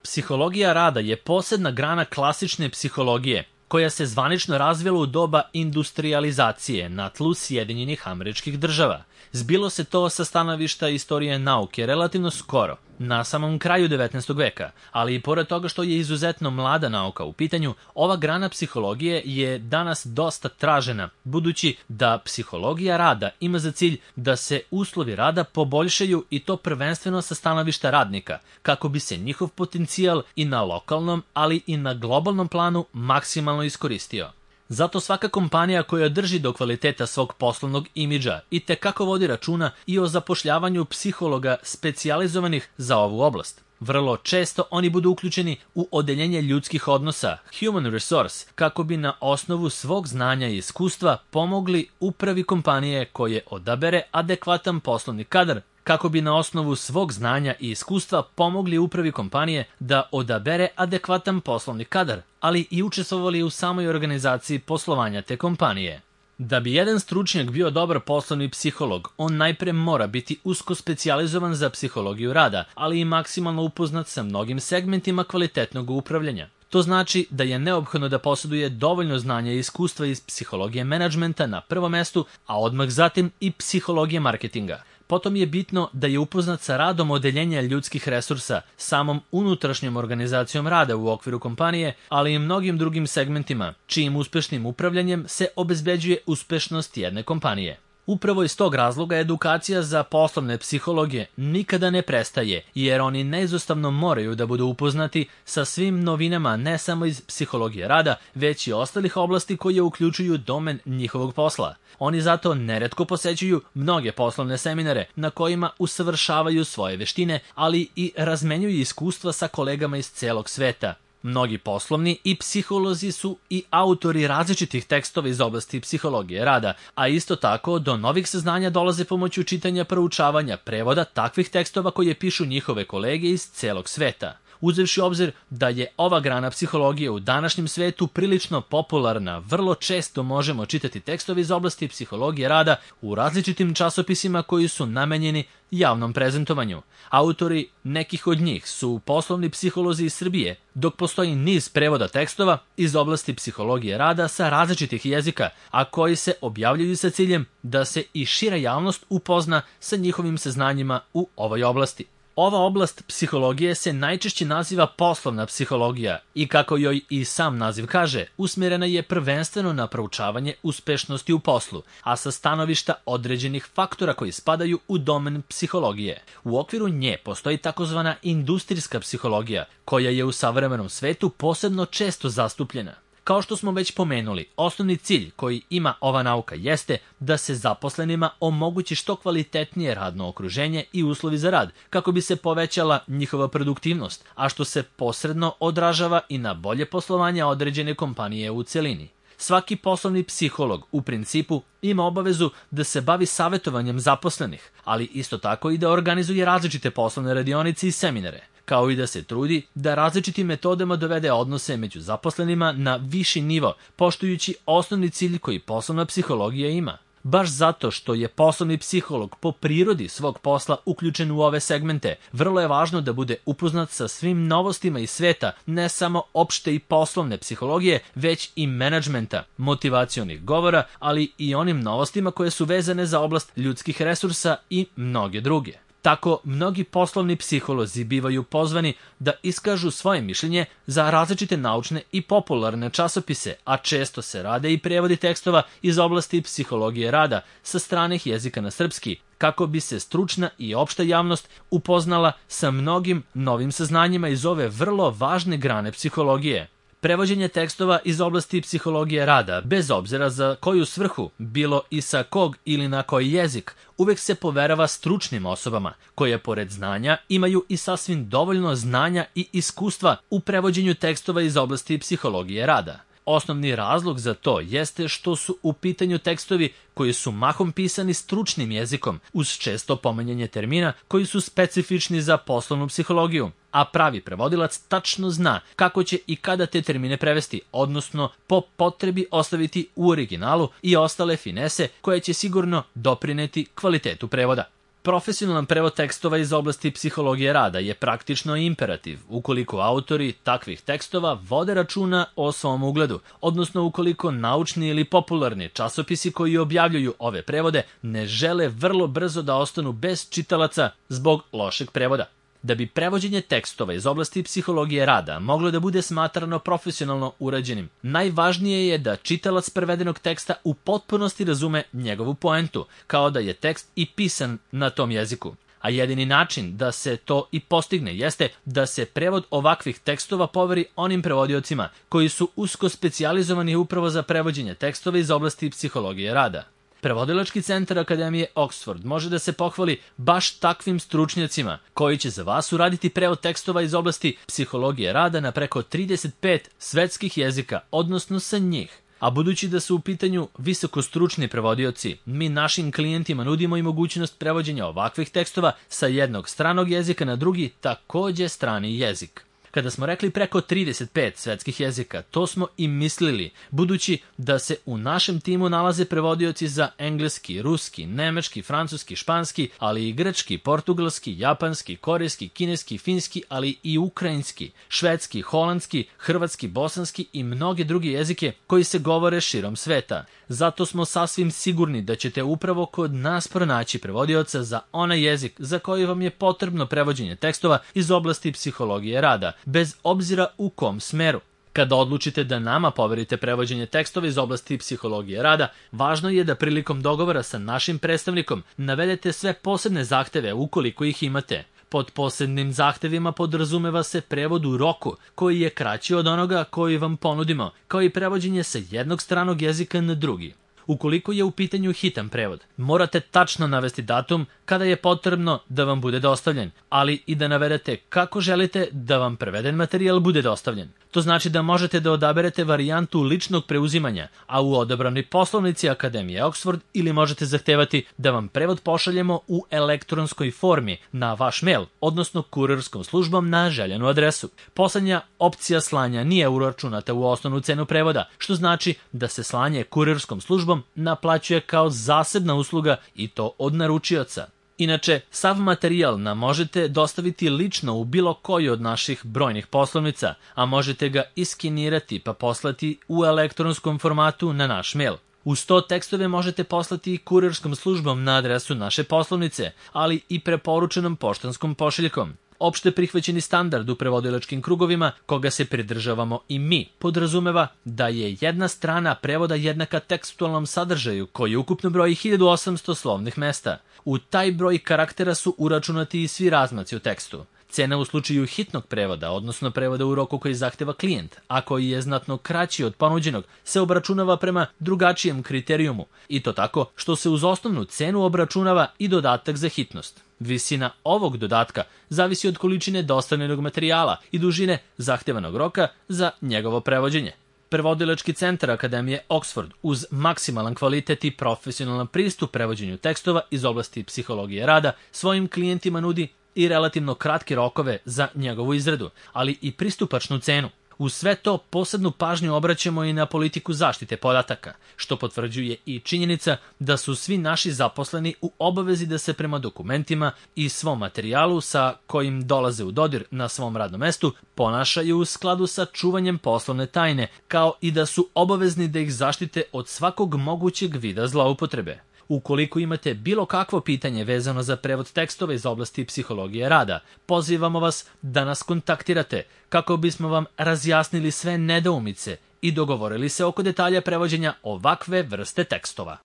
Psihologija rada je posebna grana klasične psihologije, koja se zvanično razvila u doba industrijalizacije na tlu Sjedinjenih Američkih Država. Zbilo se to sa stanovišta istorije nauke relativno skoro, na samom kraju 19. veka, ali i pored toga što je izuzetno mlada nauka u pitanju, ova grana psihologije je danas dosta tražena, budući da psihologija rada ima za cilj da se uslovi rada poboljšaju i to prvenstveno sa stanovišta radnika, kako bi se njihov potencijal i na lokalnom, ali i na globalnom planu maksimalno iskoristio. Zato svaka kompanija koja drži do kvaliteta svog poslovnog imidža i tekako vodi računa i o zapošljavanju psihologa specijalizovanih za ovu oblast. Vrlo često oni budu uključeni u odeljenje ljudskih odnosa, human resource, kako bi na osnovu svog znanja i iskustva pomogli upravi kompanije koje odabere adekvatan poslovni kadar, kako bi na osnovu svog znanja i iskustva pomogli upravi kompanije da odabere adekvatan poslovni kadar, ali i učestvovali u samoj organizaciji poslovanja te kompanije. Da bi jedan stručnjak bio dobar poslovni psiholog, on najpre mora biti usko specijalizovan za psihologiju rada, ali i maksimalno upoznat sa mnogim segmentima kvalitetnog upravljanja. To znači da je neophodno da posjeduje dovoljno znanja i iskustva iz psihologije menadžmenta na prvom mestu, a odmah zatim i psihologije marketinga. Potom je bitno da je upoznat sa radom odeljenja ljudskih resursa, samom unutrašnjom organizacijom rada u okviru kompanije, ali i mnogim drugim segmentima, čijim uspešnim upravljanjem se obezbeđuje uspešnost jedne kompanije. Upravo iz tog razloga edukacija za poslovne psihologije nikada ne prestaje, jer oni neizostavno moraju da budu upoznati sa svim novinama ne samo iz psihologije rada, već i ostalih oblasti koje uključuju domen njihovog posla. Oni zato neretko posećuju mnoge poslovne seminare na kojima usavršavaju svoje veštine, ali i razmenjuju iskustva sa kolegama iz celog sveta. Mnogi poslovni i psiholozi su i autori različitih tekstova iz oblasti psihologije rada, a isto tako do novih saznanja dolaze pomoću čitanja, proučavanja, prevoda takvih tekstova koje pišu njihove kolege iz celog sveta. Uzevši obzir da je ova grana psihologije u današnjem svetu prilično popularna, vrlo često možemo čitati tekstove iz oblasti psihologije rada u različitim časopisima koji su namenjeni javnom prezentovanju. Autori nekih od njih su poslovni psiholozi iz Srbije, dok postoji niz prevoda tekstova iz oblasti psihologije rada sa različitih jezika, a koji se objavljuju sa ciljem da se i šira javnost upozna sa njihovim saznanjima u ovoj oblasti. Ova oblast psihologije se najčešće naziva poslovna psihologija i, kako joj i sam naziv kaže, usmjerena je prvenstveno na proučavanje uspešnosti u poslu, a sa stanovišta određenih faktora koji spadaju u domen psihologije. U okviru nje postoji takozvana industrijska psihologija, koja je u savremenom svetu posebno često zastupljena. Kao što smo već pomenuli, osnovni cilj koji ima ova nauka jeste da se zaposlenima omogući što kvalitetnije radno okruženje i uslovi za rad, kako bi se povećala njihova produktivnost, a što se posredno odražava i na bolje poslovanje određene kompanije u celini. Svaki poslovni psiholog u principu ima obavezu da se bavi savjetovanjem zaposlenih, ali isto tako i da organizuje različite poslovne radionice i seminare, kao i da se trudi da različitim metodama dovede odnose među zaposlenima na viši nivo, poštujući osnovni cilj koji poslovna psihologija ima. Baš zato što je poslovni psiholog po prirodi svog posla uključen u ove segmente, vrlo je važno da bude upoznat sa svim novostima iz sveta, ne samo opšte i poslovne psihologije, već i menadžmenta, motivacionih govora, ali i onim novostima koje su vezane za oblast ljudskih resursa i mnoge druge. Tako, mnogi poslovni psiholozi bivaju pozvani da iskažu svoje mišljenje za različite naučne i popularne časopise, a često se rade i prevodi tekstova iz oblasti psihologije rada sa stranih jezika na srpski, kako bi se stručna i opšta javnost upoznala sa mnogim novim saznanjima iz ove vrlo važne grane psihologije. Prevođenje tekstova iz oblasti psihologije rada, bez obzira za koju svrhu, bilo i sa kog ili na koji jezik, uvek se poverava stručnim osobama, koje pored znanja imaju i sasvim dovoljno znanja i iskustva u prevođenju tekstova iz oblasti psihologije rada. Osnovni razlog za to jeste što su u pitanju tekstovi koji su mahom pisani stručnim jezikom, uz često pominjanje termina koji su specifični za poslovnu psihologiju, a pravi prevodilac tačno zna kako će i kada te termine prevesti, odnosno po potrebi ostaviti u originalu i ostale finese koje će sigurno doprineti kvalitetu prevoda. Profesionalan prevod tekstova iz oblasti psihologije rada je praktično imperativ ukoliko autori takvih tekstova vode računa o svom ugledu, odnosno ukoliko naučni ili popularni časopisi koji objavljuju ove prevode ne žele vrlo brzo da ostanu bez čitalaca zbog lošeg prevoda. Da bi prevođenje tekstova iz oblasti psihologije rada moglo da bude smatrano profesionalno urađenim, najvažnije je da čitalac prevedenog teksta u potpunosti razume njegovu poentu, kao da je tekst i pisan na tom jeziku. A jedini način da se to i postigne jeste da se prevod ovakvih tekstova poveri onim prevodiocima koji su usko specijalizovani upravo za prevođenje tekstova iz oblasti psihologije rada. Prevodilački centar Akademije Oxford može da se pohvali baš takvim stručnjacima koji će za vas uraditi prevod tekstova iz oblasti psihologije rada na preko 35 svetskih jezika, odnosno sa njih. A budući da su u pitanju visokostručni prevodioci, mi našim klijentima nudimo i mogućnost prevođenja ovakvih tekstova sa jednog stranog jezika na drugi, takođe strani jezik. Kada smo rekli preko 35 svetskih jezika, to smo i mislili, budući da se u našem timu nalaze prevodioci za engleski, ruski, nemački, francuski, španski, ali i grčki, portugalski, japanski, korejski, kineski, finski, ali i ukrajinski, švedski, holandski, hrvatski, bosanski i mnoge druge jezike koji se govore širom sveta. Zato smo sasvim sigurni da ćete upravo kod nas pronaći prevodioca za onaj jezik za koji vam je potrebno prevođenje tekstova iz oblasti psihologije rada, bez obzira u kom smeru. Kada odlučite da nama poverite prevođenje tekstova iz oblasti psihologije rada, važno je da prilikom dogovora sa našim predstavnikom navedete sve posebne zahteve ukoliko ih imate. Pod posebnim zahtevima podrazumeva se prevod u roku, koji je kraći od onoga koji vam ponudimo, kao i prevođenje sa jednog stranog jezika na drugi. Ukoliko je u pitanju hitan prevod, morate tačno navesti datum kada je potrebno da vam bude dostavljen, ali i da navedete kako želite da vam preveden materijal bude dostavljen. To znači da možete da odaberete varijantu ličnog preuzimanja, a u odabranoj poslovnici Akademije Oxford, ili možete zahtevati da vam prevod pošaljemo u elektronskoj formi na vaš mail, odnosno kurirskom službom na željenu adresu. Poslednja opcija slanja nije uračunata u osnovnu cenu prevoda, što znači da se slanje kurirskom službom naplaćuje kao zasebna usluga i to od naručioca. Inače, sav materijal nam možete dostaviti lično u bilo koju od naših brojnih poslovnica, a možete ga iskenirati pa poslati u elektronskom formatu na naš mail. Uz to tekstove možete poslati i kurirskom službom na adresu naše poslovnice, ali i preporučenom poštanskom pošiljkom. Opšte prihvaćeni standard u prevodilačkim krugovima, koga se pridržavamo i mi, podrazumeva da je jedna strana prevoda jednaka tekstualnom sadržaju koji ukupno broji 1800 slovnih mesta. U taj broj karaktera su uračunati i svi razmaci u tekstu. Cena u slučaju hitnog prevoda, odnosno prevoda u roku koji zahteva klijent, a koji je znatno kraći od ponuđenog, se obračunava prema drugačijem kriterijumu, i to tako što se uz osnovnu cenu obračunava i dodatak za hitnost. Visina ovog dodatka zavisi od količine dostavljenog materijala i dužine zahtevanog roka za njegovo prevođenje. Prevodilački centar Akademije Oxford uz maksimalan kvalitet i profesionalan pristup prevođenju tekstova iz oblasti psihologije rada svojim klijentima nudi i relativno kratke rokove za njegovu izradu, ali i pristupačnu cenu. Uz sve to posebnu pažnju obraćamo i na politiku zaštite podataka, što potvrđuje i činjenica da su svi naši zaposleni u obavezi da se prema dokumentima i svom materijalu sa kojim dolaze u dodir na svom radnom mestu ponašaju u skladu sa čuvanjem poslovne tajne, kao i da su obavezni da ih zaštite od svakog mogućeg vida zloupotrebe. Ukoliko imate bilo kakvo pitanje vezano za prevod tekstova iz oblasti psihologije rada, pozivamo vas da nas kontaktirate kako bismo vam razjasnili sve nedoumice i dogovorili se oko detalja prevođenja ovakve vrste tekstova.